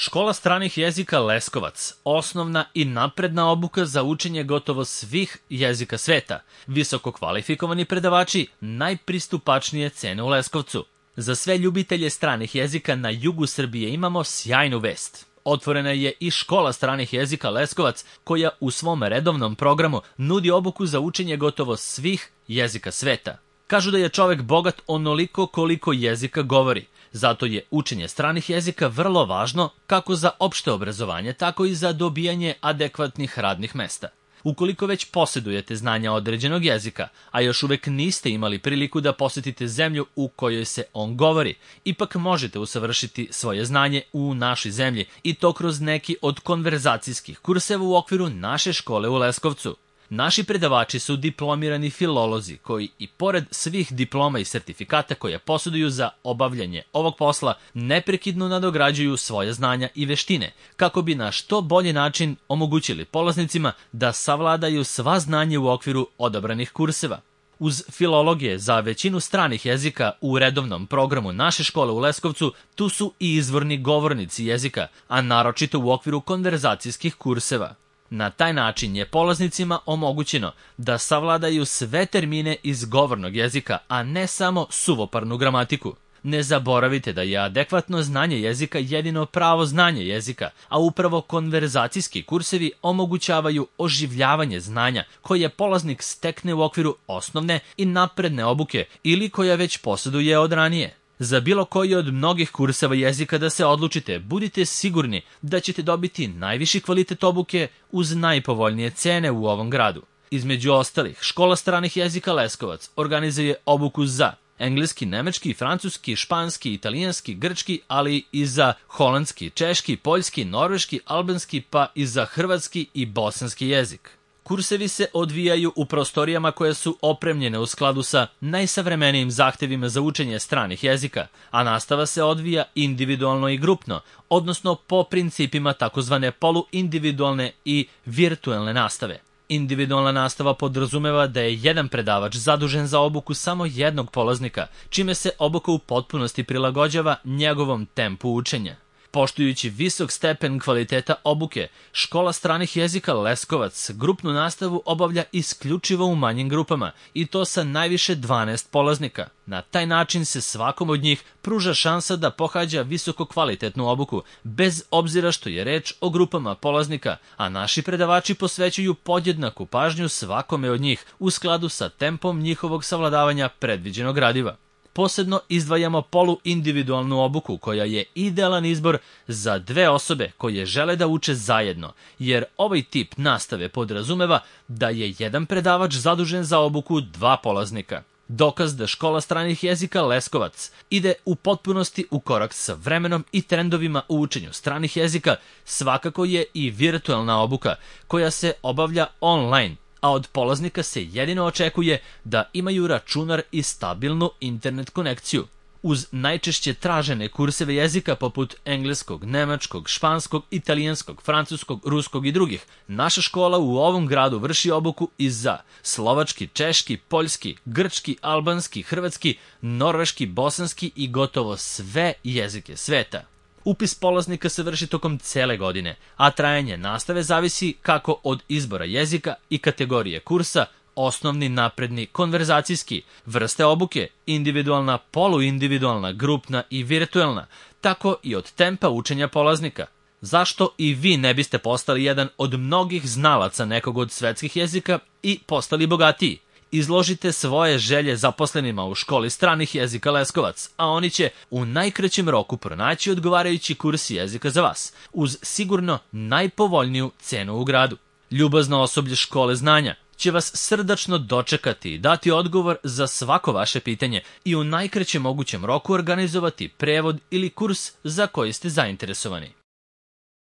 Škola stranih jezika Leskovac, osnovna i napredna obuka za učenje gotovo svih jezika sveta, visoko kvalifikovani predavači, najpristupačnije cene u Leskovcu. Za sve ljubitelje stranih jezika na jugu Srbije imamo sjajnu vest. Otvorena je i škola stranih jezika Leskovac, koja u svom redovnom programu nudi obuku za učenje gotovo svih jezika sveta. Kažu da je čovek bogat onoliko koliko jezika govori. Zato je učenje stranih jezika vrlo važno kako za opšte obrazovanje, tako i za dobijanje adekvatnih radnih mesta. Ukoliko već posjedujete znanja određenog jezika, a još uvek niste imali priliku da posetite zemlju u kojoj se on govori, ipak možete usavršiti svoje znanje u našoj zemlji i to kroz neki od konverzacijskih kurseva u okviru naše škole u Leskovcu. Naši predavači su diplomirani filolozi koji i pored svih diploma i sertifikata koje posjeduju za obavljanje ovog posla neprekidno nadograđuju svoje znanja i veštine kako bi na što bolji način omogućili polaznicima da savladaju sva znanja u okviru odabranih kurseva. Uz filologije za većinu stranih jezika u redovnom programu naše škole u Leskovcu, tu su i izvorni govornici jezika, a naročito u okviru konverzacijskih kurseva. Na taj način je polaznicima omogućeno da savladaju sve termine iz govornog jezika, a ne samo suvoparnu gramatiku. Ne zaboravite da je adekvatno znanje jezika jedino pravo znanje jezika, a upravo konverzacijski kursevi omogućavaju oživljavanje znanja koje polaznik stekne u okviru osnovne i napredne obuke ili koja već posjeduje od ranije. Za bilo koji od mnogih kurseva jezika da se odlučite, budite sigurni da ćete dobiti najviši kvalitet obuke uz najpovoljnije cene u ovom gradu. Između ostalih, škola stranih jezika Leskovac organizuje obuku za engleski, nemački, francuski, španski, italijanski, grčki, ali i za holandski, češki, poljski, norveški, albanski, pa i za hrvatski i bosanski jezik. Kursevi se odvijaju u prostorijama koje su opremljene u skladu sa najsavremenijim zahtevima za učenje stranih jezika, a nastava se odvija individualno i grupno, odnosno po principima takozvane poluindividualne i virtuelne nastave. Individualna nastava podrazumeva da je jedan predavač zadužen za obuku samo jednog polaznika, čime se obuka u potpunosti prilagođava njegovom tempu učenja. Poštujući visok stepen kvaliteta obuke, škola stranih jezika Leskovac grupnu nastavu obavlja isključivo u manjim grupama i to sa najviše 12 polaznika. Na taj način se svakom od njih pruža šansa da pohađa visoko kvalitetnu obuku, bez obzira što je reč o grupama polaznika, a naši predavači posvećuju podjednaku pažnju svakome od njih u skladu sa tempom njihovog savladavanja predviđenog gradiva. Posebno izdvajamo poluindividualnu obuku koja je idealan izbor za dve osobe koje žele da uče zajedno, jer ovaj tip nastave podrazumeva da je jedan predavač zadužen za obuku dva polaznika. Dokaz da škola stranih jezika Leskovac ide u potpunosti u korak sa vremenom i trendovima u učenju stranih jezika svakako je i virtuelna obuka koja se obavlja online, a od polaznika se jedino očekuje da imaju računar i stabilnu internet konekciju. Uz najčešće tražene kurseve jezika poput engleskog, nemačkog, španskog, italijanskog, francuskog, ruskog i drugih, naša škola u ovom gradu vrši obuku i za slovački, češki, poljski, grčki, albanski, hrvatski, norveški, bosanski i gotovo sve jezike sveta. Upis polaznika se vrši tokom cele godine, a trajanje nastave zavisi kako od izbora jezika i kategorije kursa, osnovni, napredni, konverzacijski, vrste obuke, individualna, poluindividualna, grupna i virtuelna, tako i od tempa učenja polaznika. Zašto i vi ne biste postali jedan od mnogih znalaca nekog od svetskih jezika i postali bogatiji? Izložite svoje želje zaposlenima u školi stranih jezika Leskovac, a oni će u najkraćem roku pronaći odgovarajući kurs jezika za vas, uz sigurno najpovoljniju cenu u gradu. Ljubazno osoblje škole znanja će vas srdačno dočekati i dati odgovor za svako vaše pitanje i u najkraćem mogućem roku organizovati prevod ili kurs za koji ste zainteresovani.